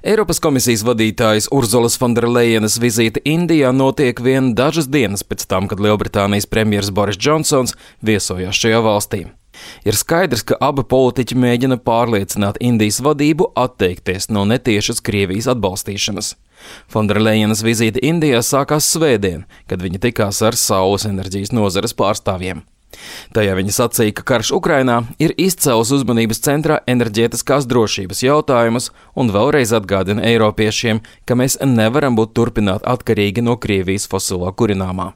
Eiropas komisijas vadītājas Urzulas Fonderlejenas vizīte Indijā notiek vien dažas dienas pēc tam, kad Lielbritānijas premjers Boris Džonsons viesojās šajā valstī. Ir skaidrs, ka abi politiķi mēģina pārliecināt Indijas vadību atteikties no netiešas Krievijas atbalstīšanas. Fonderlejenas vizīte Indijā sākās svētdien, kad viņa tikās ar saules enerģijas nozares pārstāvjiem. Tajā viņa sacīja, ka karš Ukrainā ir izcēlis uzmanības centrā enerģētiskās drošības jautājumus un vēlreiz atgādina eiropiešiem, ka mēs nevaram būt turpināt atkarīgi no Krievijas fosilo kurināmā.